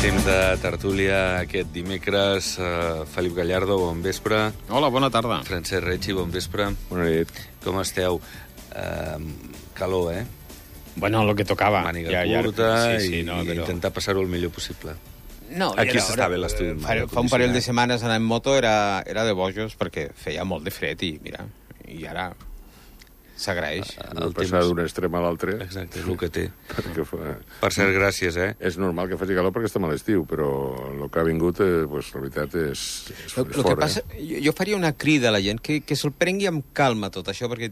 temps de tertúlia aquest dimecres. Felip Gallardo, bon vespre. Hola, bona tarda. Francesc Retxi, bon vespre. Bona nit. Com esteu? Calor, eh? Bueno, lo que tocava. Màniga curta sí, i intentar passar-ho el millor possible. No, aquí s'està bé l'estudi. Fa un parell de setmanes anar en moto era de bojos perquè feia molt de fred i mira, i ara s'agraeix. El passar d'un extrem a l'altre. Exacte, és el que té. Fa... Per cert, gràcies, eh? És normal que faci calor perquè estem a l'estiu, però el que ha vingut, pues, la veritat, és fort. El que passa, jo faria una crida a la gent que se'l prengui amb calma tot això, perquè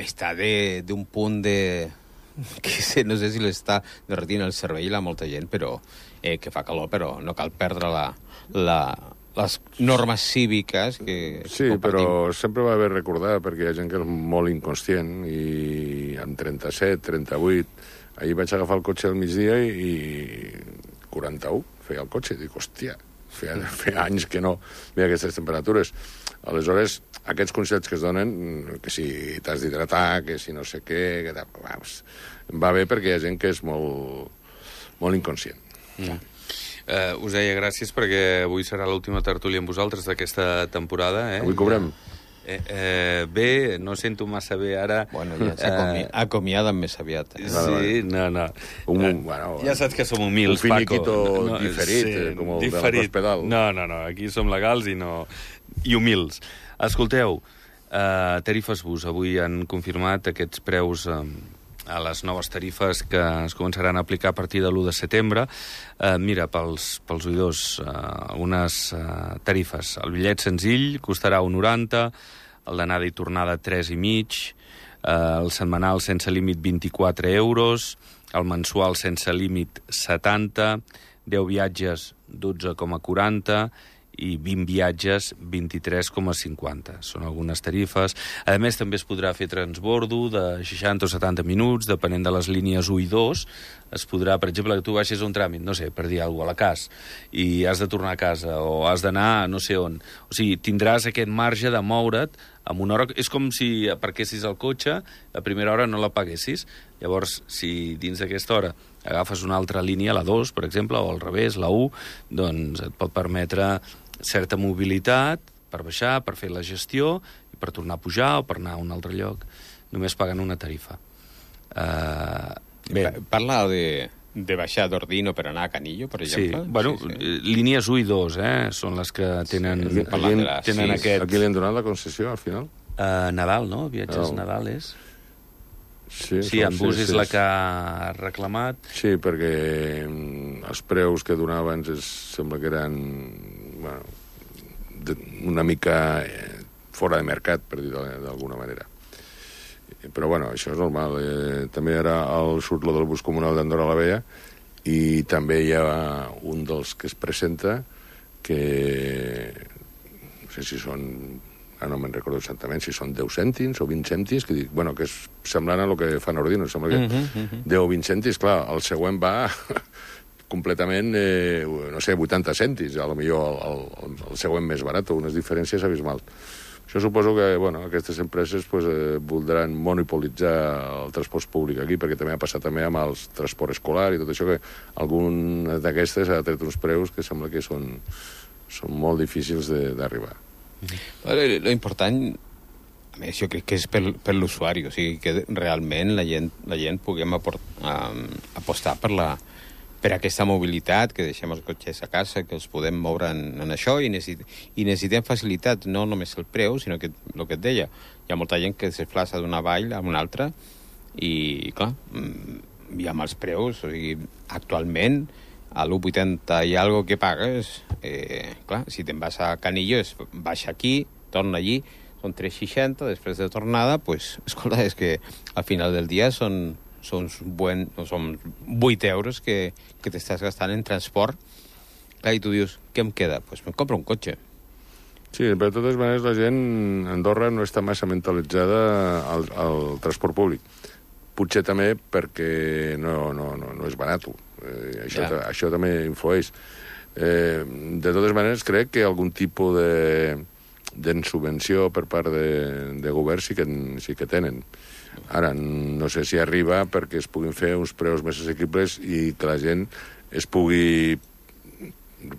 està d'un punt de... que no sé si l'està derretint el cervell a molta gent, però que fa calor, però no cal perdre les normes cíviques que sí, compartim. però sempre va bé recordar, perquè hi ha gent que és molt inconscient, i amb 37, 38... Ahir vaig agafar el cotxe al migdia i 41 feia el cotxe. Dic, hòstia, feia anys que no veia aquestes temperatures. Aleshores, aquests consells que es donen, que si t'has d'hidratar, que si no sé què... va bé perquè hi ha gent que és molt inconscient. Us deia gràcies perquè avui serà l'última tertúlia amb vosaltres d'aquesta temporada. Avui cobrem. Bé, no sento massa bé ara. Bueno, ja acomiaden més aviat. Sí, no. Bueno, ja saps que som humils, un finiquito Paco. diferit, sí, com el de l'hospital. No, aquí som legals i humils. Escolteu, tarifes bus. Avui han confirmat aquests preus a les noves tarifes que es començaran a aplicar a partir de l'1 de setembre. Mira, pels oïdors, algunes tarifes. El bitllet senzill costarà 1,90, el d'anada i tornada 3,5, el setmanal sense límit 24 euros, el mensual sense límit 70, 10 viatges 12,40 i 20 viatges 23,50. Són algunes tarifes. A més, també es podrà fer transbordo de 60 o 70 minuts, depenent de les línies 1 i 2. Es podrà, per exemple, que tu baixis a un tràmit, no sé, per dir alguna cosa, a la CAS, i has de tornar a casa, o has d'anar a no sé on. O sigui, tindràs aquest marge de moure't amb una hora... És com si aparquessis el cotxe, la primera hora no la paguessis. Llavors, si dins d'aquesta hora agafes una altra línia, la 2, per exemple, o al revés, la 1, doncs et pot permetre certa mobilitat per baixar, per fer la gestió, i per tornar a pujar o per anar a un altre lloc. Només pagant una tarifa. Parla de baixar d'Ordino per anar a Canillo, per exemple? Sí, bueno, sí. Línies 1 i 2, són les que tenen, tenen aquest... Aquí li han donat la concessió, al final? Nadal, no? Viatges Nadal és... Sí, en bus és la que ha reclamat. Sí, perquè els preus que donava abans sembla que eren una mica fora de mercat, per dir d'alguna manera. Però, bueno, això és normal. També ara surt lo del bus comunal d'Andorra la Vella i també hi ha un dels que es presenta que no sé si són... no me'n recordo exactament si són 10 cèntims o 20 cèntims, que dic, bueno, que és semblant a el que fan Ordino, sembla que 10 o 20 cèntims, clar, el següent va completament, no sé, 80 cèntims, a lo millor el següent més barat, unes diferències abismals. Això suposo que, bueno, aquestes empreses voldran monopolitzar el transport públic aquí, perquè també ha passat també amb el transport escolar i tot això, que algun d'aquestes ha tret uns preus que sembla que són molt difícils d'arribar. Lo important, a més, jo crec que és per l'usuari, o sigui, que realment la gent puguem apostar per aquesta mobilitat, que deixem els cotxes a casa, que els podem moure en això, i necessitem facilitat, no només el preu, sinó que el que et deia, hi ha molta gent que es desplaça d'una vall a una altra, i, clar, i amb els preus, o sigui, actualment, a l'1,80 i algo que pagues, clar, si te'n vas a Canillo, baixa aquí, torna allí, són 3,60, després de tornada, pues, escolta, és que al final del dia són 8 euros que t'estàs gastant en transport. Clar, i tu dius, què em queda? Pues me'n compro un cotxe. Sí, però de totes maneres la gent a Andorra no està massa mentalitzada al transport públic. Potser també perquè no és barat. Això també influeix. De totes maneres, crec que algun tipus de subvenció per part de govern sí que tenen. Ara, no sé si arriba perquè es puguin fer uns preus més assequibles i que la gent es pugui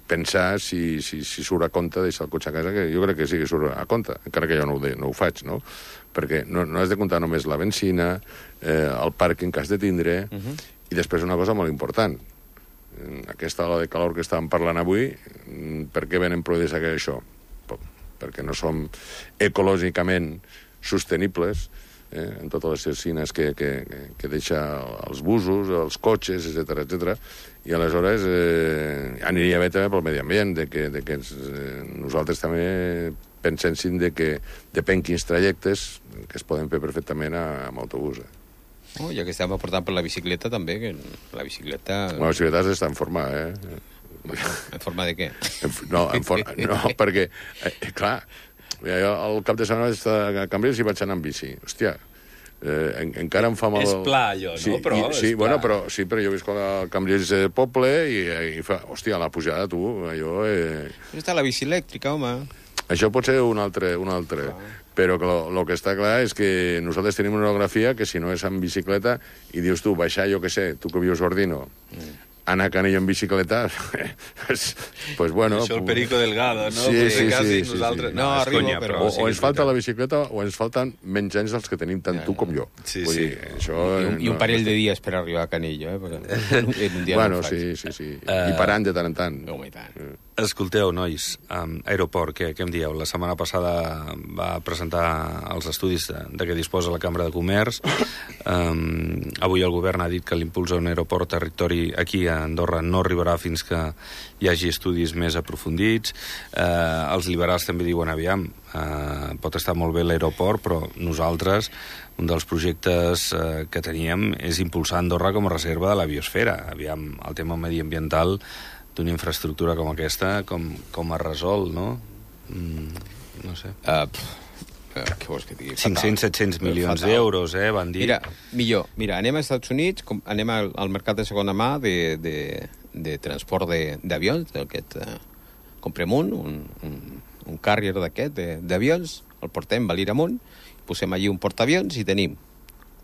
pensar si surt a compte deixar el cotxe a casa, que jo crec que sí que surt a compte, encara que jo no ho faig, no? Perquè no has de comptar només la benzina, el pàrquing que has de tindre, i després una cosa molt important. Aquesta ola de calor que estàvem parlant avui, per què venen produïts això? Perquè no som ecològicament sostenibles, en totes les cecines que deixa els busos, els cotxes, etc. I aleshores aniria bé també pel medi ambient, que nosaltres també penséssim que depèn quins trajectes que es poden fer perfectament amb autobús. Ja que estem aportant per la bicicleta també, que la bicicleta... La bicicleta està en forma, En forma de què? No, perquè, clar, jo al cap de setmana a Cambrils i vaig anar amb bici. Hòstia, encara em fa mal... És pla, allò, no? Però jo visc al Cambrils poble i fa... Hòstia, la pujada, tu, allò... Està la bici elèctrica, home. Això pot ser un altre. Però el que està clar és que nosaltres tenim una orografia que si no és amb bicicleta i dius tu, baixar, jo què sé, tu que vius a Ordino, anar a Canillo en bicicleta, pues bueno... Això el Perico Delgado, no? Sí. Nosaltres... No, arriba, però... O ens falta la bicicleta o ens falten menys anys dels que tenim tant tu com jo. Sí. I un parell de dies per arribar a Canillo, Bueno, sí. I parant de tant en tant. Home, i tant. Escolteu, nois, Aeroport, què em dieu? La setmana passada va presentar els estudis de què disposa la Cambra de Comerç. Avui el govern ha dit que l'impuls a un aeroport territori aquí a Andorra no arribarà fins que hi hagi estudis més aprofundits. Els liberals també diuen, aviam, pot estar molt bé l'aeroport, però nosaltres, un dels projectes que teníem és impulsar Andorra com a reserva de la biosfera. Aviam, el tema mediambiental d'una infraestructura com aquesta, com es resol, no? No sé. Què vols que digui? 500-700 milions d'euros, van dir. Mira, anem als Estats Units, anem al mercat de segona mà de transport d'avions, comprem un carrier d'aquest, d'avions, el portem, va l'ir amunt, posem allí un portaavions i tenim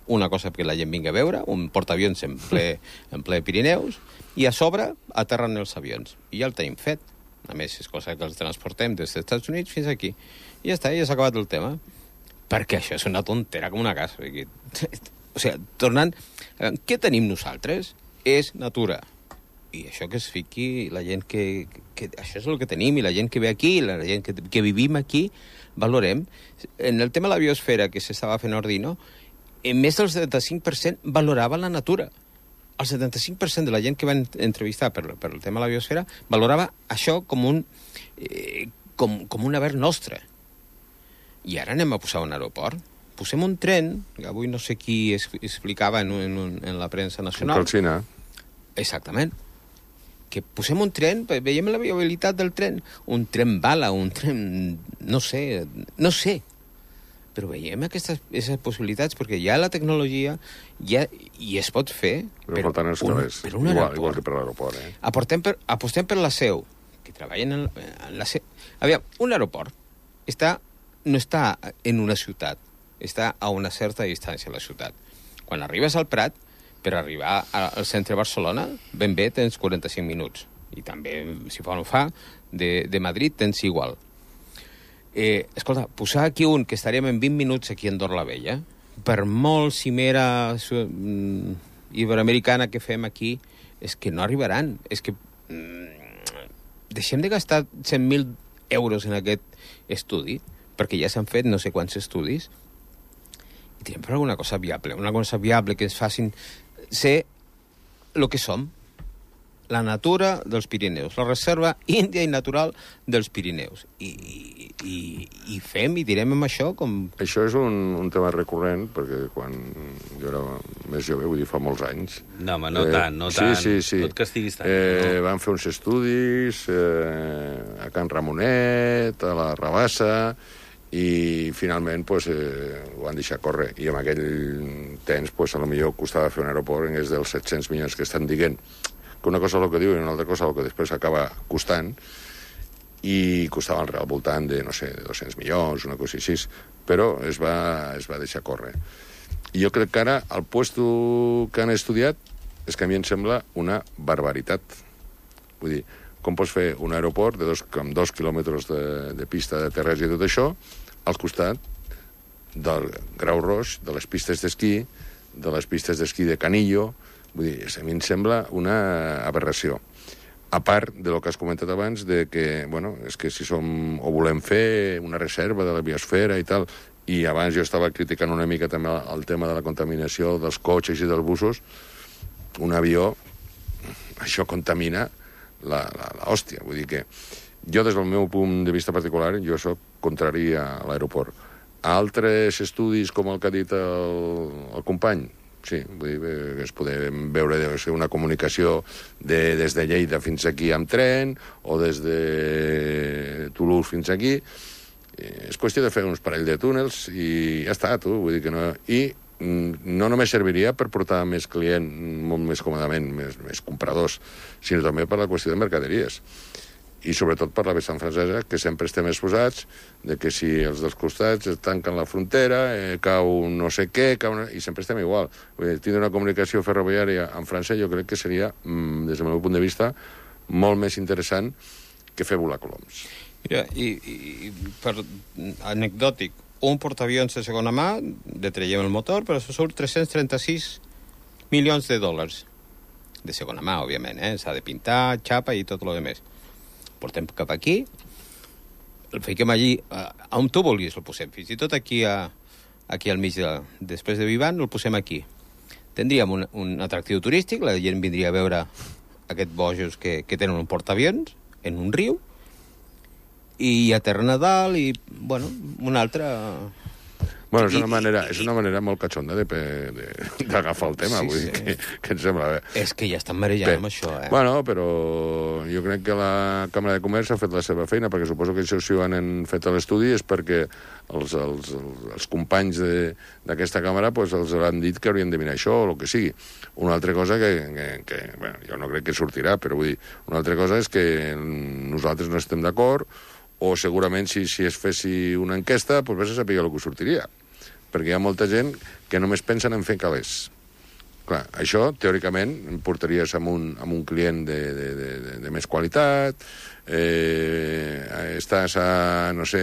una cosa que la gent vingui a veure, un portaavions en ple Pirineus, i a sobre aterren els avions. I ja el tenim fet. A més, és cosa que els transportem des dels Estats Units fins aquí. I ja està, ja s'ha acabat el tema. Perquè això és una tontera com una casa. O sigui, tornant... Què tenim nosaltres? És natura. I això que es fiqui la gent que això és el que tenim, i la gent que ve aquí, la gent que vivim aquí, valorem. En el tema de la biosfera que s'estava fent a Ordino, més del 75% valorava la natura. El 75% de la gent que van entrevistar per el tema de la biosfera valorava això com un haver nostre. I ara anem a posar un aeroport. Posem un tren, que avui no sé qui explicava en la premsa nacional. Un calcina. Exactament. Que posem un tren, veiem la viabilitat del tren. Un tren bala, un tren... No sé. Però veiem aquestes possibilitats, perquè hi ha la tecnologia i es pot fer per un aeroport. Igual que per l'aeroport. Apostem per la SEU, que treballen en la SEU. Aviam, un aeroport no està en una ciutat, està a una certa distància de la ciutat. Quan arribes al Prat, per arribar al centre de Barcelona, ben bé tens 45 minuts. I també, si fa o no fa, de Madrid tens igual. Escolta, posar aquí un que estaríem en 20 minuts aquí a Andorra la Vella, per molt cimera iberoamericana que fem aquí, és que no arribaran. És que deixem de gastar 100.000 euros en aquest estudi, perquè ja s'han fet no sé quants estudis, i tirem per alguna cosa viable que ens facin ser el que som. La natura dels Pirineus, la reserva índia i natural dels Pirineus. I fem i direm amb això com... Això és un tema recurrent, perquè quan jo era més jove, vull dir, fa molts anys... No, home, no tant. Sí. No et castiguis tant. Van fer uns estudis a Can Ramonet, a la Rabassa, i finalment ho van deixar córrer. I en aquell temps, potser costava fer un aeroport en dels 700 milions que estan dient, que una cosa és el que diu i una altra cosa el que després acaba costant, i costava al voltant de, no sé, de 200 milions, una cosa així, però es va deixar córrer. I jo crec que ara el puesto que han estudiat és que a mi em sembla una barbaritat. Vull dir, com pots fer un aeroport amb 2 quilòmetres de pista de terres i tot això, al costat del Grau Roig, de les pistes d'esquí, de les pistes d'esquí de Canillo. Vull dir, a mi em sembla una aberració. A part de lo que has comentat abans, de que, bueno, és que si o volem fer una reserva de la biosfera i tal, i abans jo estava criticant una mica també el tema de la contaminació dels cotxes i dels busos, un avió, això contamina l'hòstia. Vull dir que jo, des del meu punt de vista particular, jo soc contrari a l'aeroport. A altres estudis, com el que ha dit el company, sí, vull dir, es podem veure una comunicació des de Lleida fins aquí amb tren, o des de Toulouse fins aquí. És qüestió de fer uns parell de túnels i ja està, tu. Vull dir que no... I no només serviria per portar més client molt més còmodament, més compradors, sinó també per la qüestió de mercaderies. I sobretot per la vessant francesa, que sempre estem exposats de que si els dels costats es tanquen la frontera, cau no sé què, i sempre estem igual. Vull dir, tindre una comunicació ferroviària en França jo crec que seria, des del meu punt de vista, molt més interessant que fer volar coloms. Mira, i per anecdòtic, un portaavions de segona mà, detreiem el motor, però surt 336 milions de dòlars. De segona mà, òbviament, s'ha de pintar, xapa i tot el demés. Portem cap aquí, el fiquem allí, on tu vulguis el posem, fins i tot aquí al mig, després de Vivant, el posem aquí. Tindríem un atractiu turístic, la gent vindria a veure aquests bojos que tenen un portaavions en un riu, i aterren a dalt, i, bueno, una altra... Bueno, és una manera molt catxonda d'agafar el tema, vull dir que em sembla bé. És que ja estan marejant amb això, Bueno, però jo crec que la Càmera de Comerç ha fet la seva feina, perquè suposo que això si ho han fet a l'estudi és perquè els companys d'aquesta càmera pues, els han dit que haurien de mirar això o el que sigui. Una altra cosa que bueno, jo no crec que sortirà, però vull dir, una altra cosa és que nosaltres no estem d'acord, o segurament si es fessi una enquesta, doncs vés a saber el que sortiria. Perquè hi ha molta gent que només pensen en fer calés. Clar, això, teòricament, portaries amb un client de més qualitat, estàs a, no sé,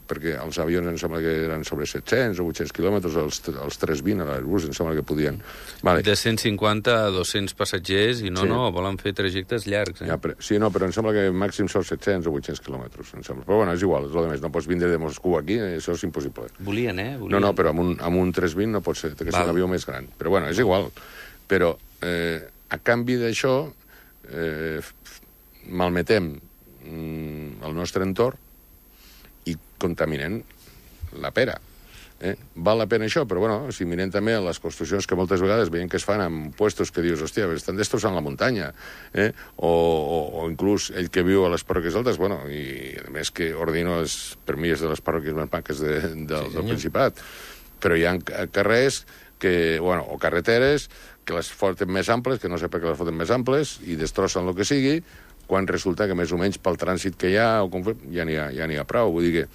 perquè els avions em sembla que eren sobre 700 o 800 quilòmetres, els 320 a l'Airbus em sembla que podien. Vale. De 150 a 200 passatgers i no, volen fer trajectes llargs. Ja, sí, no, però em sembla que màxim són 700 o 800 quilòmetres, em sembla. Però bueno, és igual, és el de més. No pots vindre de Moscou aquí, això és impossible. Volien. No, però amb un 320 no pot ser, que és un avió més gran. Però bueno, és igual. Però a canvi d'això malmetem el nostre entorn i contaminem la pera. Val la pena això, però bueno, si mirem també les construccions que moltes vegades veiem que es fan en puestos que dius, hòstia, estan destrossant la muntanya, o inclús ell que viu a les parròquies altes, bueno, i a més que Ordino per mi és de les parròquies més maques del Principat, però hi ha carrers o carreteres que les foten més amples, que no sé per què les foten més amples, i destrossen el que sigui, quan resulta que més o menys pel trànsit que hi ha ja n'hi ha prou. Vull dir que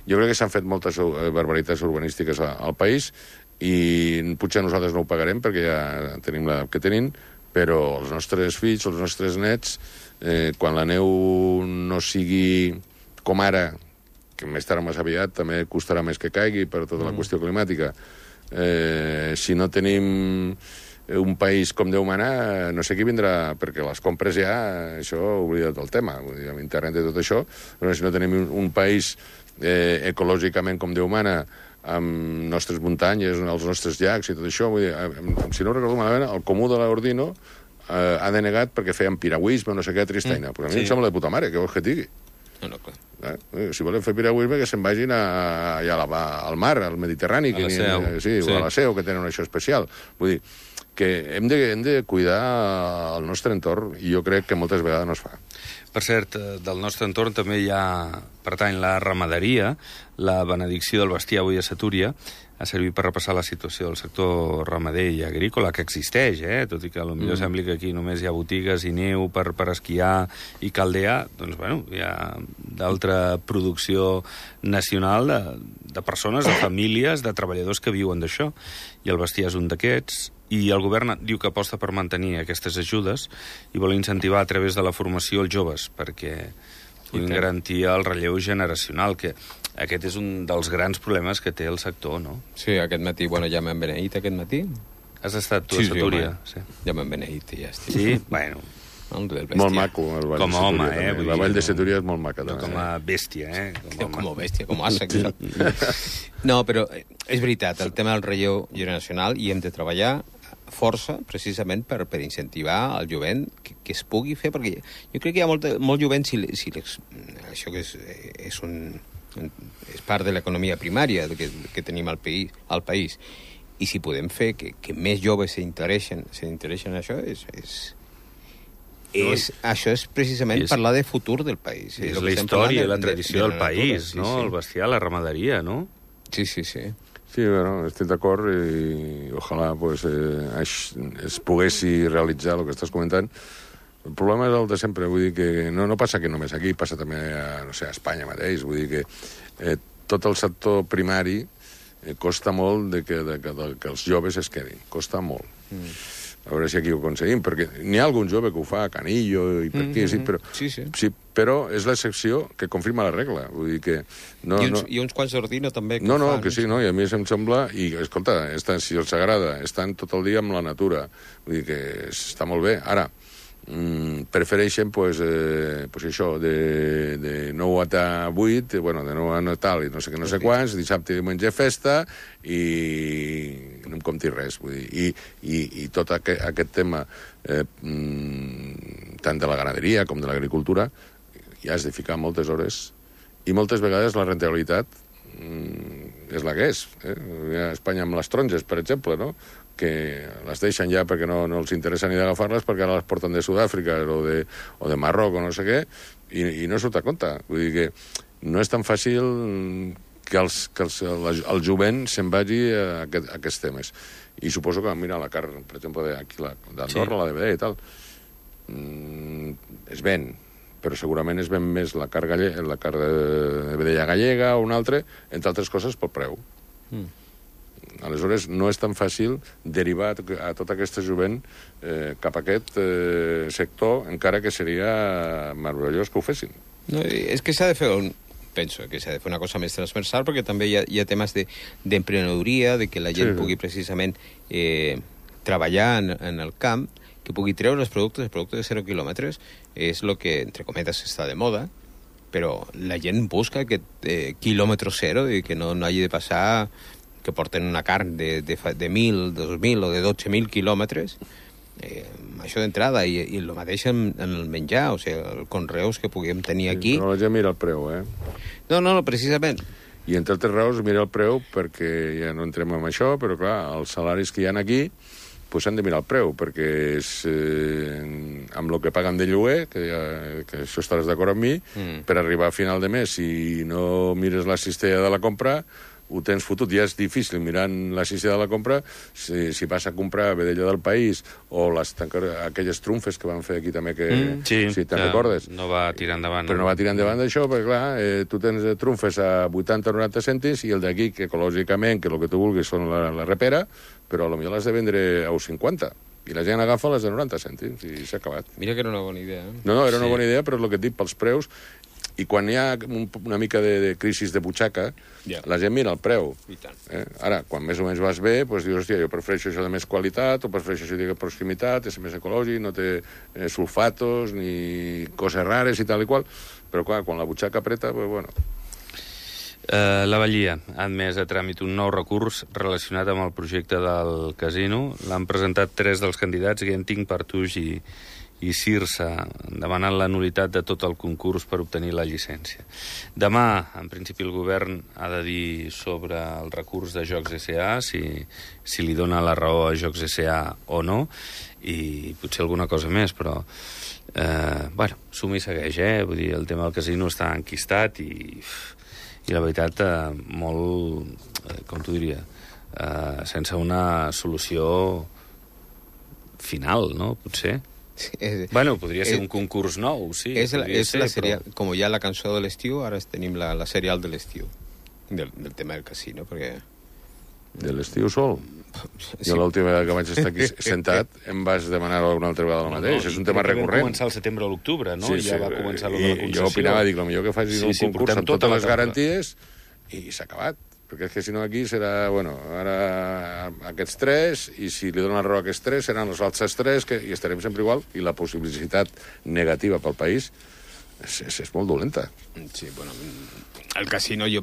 jo crec que s'han fet moltes barbaritats urbanístiques al país i potser nosaltres no ho pagarem perquè ja tenim l'edat que tenim, però els nostres fills, els nostres nets, quan la neu no sigui com ara, que més tard o més aviat també costarà més que caigui per tota la qüestió climàtica, si no tenim un país com Déu mana, no sé qui vindrà, perquè les compres ja, això oblida't del tema, vull dir, amb internet i tot això, però si no tenim un país ecològicament com Déu mana, amb nostres muntanyes, els nostres llacs i tot això, vull dir, si no recordo malament, el comú de l'Ordino ha denegat perquè feien piragüisme o no sé què, tristaina. Però a mi em sembla de puta mare, què vols que et digui? No, clar. Si volen fer piragüisme, que se'n vagin al mar, al Mediterrani, a la Seu. O a la Seu, que tenen això especial. Vull dir, que hem de cuidar el nostre entorn i jo crec que moltes vegades no es fa. Per cert, del nostre entorn també hi ha, pertany, la ramaderia, la benedicció del bestiar avui a Satúria, ha servit per repassar la situació del sector ramader i agrícola, que existeix, tot i que potser sembli que aquí només hi ha botigues i neu per esquiar i caldear, doncs, bueno, hi ha d'altra producció nacional de persones, de famílies, de treballadors que viuen d'això. I el bestiar és un d'aquests. I el govern diu que aposta per mantenir aquestes ajudes i vol incentivar a través de la formació els joves perquè puguin garantir el relleu generacional, que aquest és un dels grans problemes que té el sector, no? Sí, aquest matí, ja m'han beneït aquest matí. Has estat tu a Setúria? Sí, ja m'han beneït i ja estic. Sí? Bueno. Molt maco, el Vall com de home, Setúria. La Vall de Setúria és molt maca. No com a bèstia, Com a bèstia, com a àsec. No, però és veritat, el tema del relleu generacional i hem de treballar força, precisament, per incentivar el jovent que es pugui fer, perquè jo crec que hi ha molt jovent, això que és part de l'economia primària que tenim al país, i si podem fer que més joves s'intereixen en això, això és precisament parlar de futur del país. És la història i la tradició del país, no? El bestiar, la ramaderia, no? Sí. Sí, bueno, estic d'acord i ojalà pues, es poguessi realitzar el que estàs comentant. El problema és el de sempre, vull dir que no passa que només aquí, passa també a Espanya mateix, vull dir que tot el sector primari costa molt que els joves es quedin, costa molt. A veure si aquí ho aconseguim, perquè n'hi ha algun jove que ho fa a Canillo i per aquí, sí, però és l'excepció que confirma la regla. Vull dir que I uns quants d'Ordino també. Que sí, no? I a mi em sembla... I, escolta, si els agrada, estan tot el dia amb la natura. Vull dir que està molt bé. Ara, prefereixen, això, de 9 a 8, de 9 a tal i no sé què, no sé quants, dissabte i diumenge festa, i no em compti res. Vull dir, i tot aquest tema, tant de la ganaderia com de l'agricultura, ja has de ficar moltes hores, i moltes vegades la rentabilitat és la que és. A Espanya amb les taronges, per exemple, no?, que les deixen ja perquè no els interessa ni d'agafar-les perquè ara les porten de Sud-àfrica o de Marroc o no sé què, i no surt a compte. Vull dir que no és tan fàcil que el jovent se'n vagi a aquests temes. I suposo que, mira, la carn, per exemple, d'Andorra, la de vedella i tal, es ven, però segurament es ven més la carn de vedella gallega o una altra, entre altres coses pel preu. Aleshores, no és tan fàcil derivar a tota aquesta jovent cap a aquest sector, encara que seria meravellós que ho fessin. No, és que s'ha de fer penso que s'ha de fer una cosa més transversal, perquè també hi ha temes d'emprenedoria, de que la gent pugui precisament treballar en el camp, que pugui treure els productes de 0 quilòmetres, és el que, entre cometes, està de moda, però la gent busca aquest quilòmetre zero i que no hagi de passar que porten una carn de 1.000, 2.000 o de 12.000 quilòmetres, això d'entrada, i el mateix en el menjar, o sigui, els conreus que puguem tenir aquí. Però la gent mira el preu, No, precisament. I entre altres raons mira el preu perquè ja no entrem en això, però clar, els salaris que hi ha aquí s'han de mirar el preu, perquè és amb el que paguen de lloguer, que això estaràs d'acord amb mi, per arribar a final de mes, si no mires la cistella de la compra, ho tens fotut. Ja és difícil mirant la cistella de la compra, si vas a comprar vedella del país o aquelles trumfes que van fer aquí també, si te'n recordes. No va tirar endavant. Però no va tirar endavant d'això, perquè clar, tu tens trumfes a 80 o 90 cèntims i el d'aquí, que ecològicament, que el que tu vulguis són la repera, però potser l'has de vendre a 50. I la gent agafa les de 90 cèntims i s'ha acabat. Mira que era una bona idea. No, era una bona idea, però és el que et dic, pels preus. I quan hi ha una mica de crisi de butxaca, la gent mira el preu. I tant. Ara, quan més o menys vas bé, dius, hòstia, jo prefereixo això de més qualitat, o prefereixo això de proximitat, és més ecològic, no té sulfatos ni coses rares i tal i qual. Però clar, quan la butxaca apreta, bueno... La Vallia ha admès a tràmit un nou recurs relacionat amb el projecte del casino. L'han presentat 3 dels candidats, Genting, Partuix i Cirsa, demanant la nul·litat de tot el concurs per obtenir la llicència. Demà, en principi, el govern ha de dir sobre el recurs de Jocs S.A., si li dona la raó a Jocs S.A. o no, i potser alguna cosa més, però suma i segueix, Vull dir, el tema del casino està enquistat i la veritat, molt, com t'ho diria, sense una solució final, no? Potser. Podria ser un concurs nou, sí. És la serial, com hi ha la cançó de l'estiu, ara tenim la serial de l'estiu, del tema del casino, perquè De l'estiu sol? Jo l'última vegada que vaig estar aquí sentat em vas demanar alguna altra vegada el mateix. És un tema recurrent. Va començar al setembre o l'octubre, no? Sí, Ja va començar lo de la concessió. Jo opinava, dic, el millor que facis un concurs amb totes les garanties i s'ha acabat. Perquè és que si no aquí serà, bueno, ara aquests 3, i si li donen raó a aquests 3, seran els altres 3, i estarem sempre igual, i la possibilitat negativa pel país és molt dolenta. Sí, bueno, el casino jo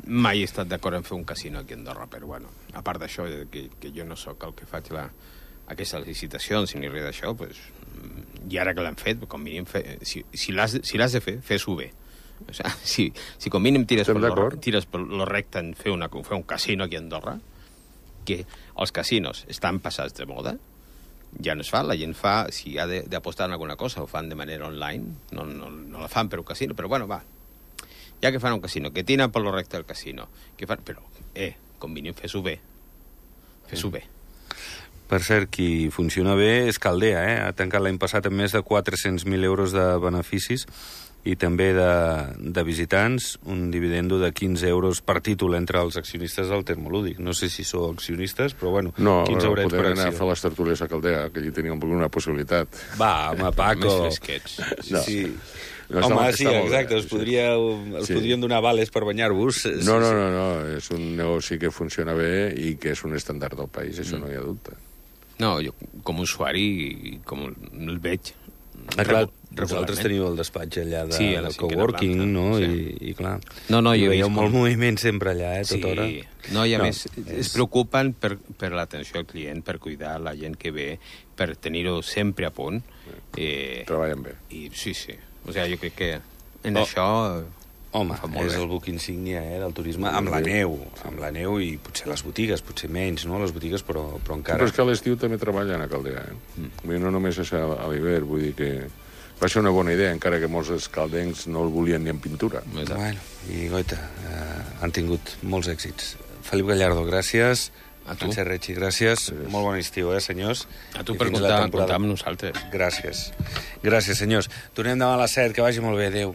mai he estat d'acord en fer un casino aquí a Andorra, però bueno, a part d'això, que jo no sóc el que faig aquestes licitacions ni res d'això, pues, i ara que l'han fet, com mínim, si l'has de fer, fes-ho bé. O sea, si com mínim tires per lo recte en fer un casino aquí a Andorra, que els casinos estan passats de moda, ja no es fa, la gent fa, si ha d'apostar en alguna cosa, ho fan de manera online, no la fan per un casino, però bueno, va, ja que fan un casino, que tiren per lo recte del casino, però, com mínim, fes-ho bé. Fes-ho bé. Per cert, qui funciona bé és Caldea, Ha tancat l'any passat amb més de 400.000 euros de beneficis i també de visitants, un dividendo de 15 euros per títol entre els accionistes del Termolúdic. No sé si sou accionistes, però bueno, 15 eurets per acció. No, podem anar a fer les tertúlies a Caldea, que allí teníem una possibilitat. Va, home, Paco. Més fresquets. Sí. Home, sí, exacte, us podrien donar vales per banyar-vos. No, és un negoci que funciona bé i que és un estàndard del país, això no hi ha dubte. No, jo com a usuari, com el veig... Clar, vosaltres teniu el despatx allà de coworking, no? Sí. I clar, jo veieu molt moviment sempre allà, tota hora. No, i a més, es preocupen per l'atenció al client, per cuidar la gent que ve, per tenir-ho sempre a punt. Treballen bé. Sí. O sigui, jo crec que en això... Home, és el buc insígnia del turisme, amb la neu i potser les botigues, potser menys, no? Les botigues, però encara... Però és que a l'estiu també treballen a Caldea, No només és a l'hivern, vull dir que va ser una bona idea, encara que molts dels caldencs no el volien ni en pintura. Bueno, i goita, han tingut molts èxits. Felip Gallardo, gràcies. A tu. Francesc Retxi, gràcies. Molt bon estiu, senyors. A tu per comptar amb nosaltres. Gràcies, senyors. Tornem demà a les 7, que vagi molt bé. Adéu.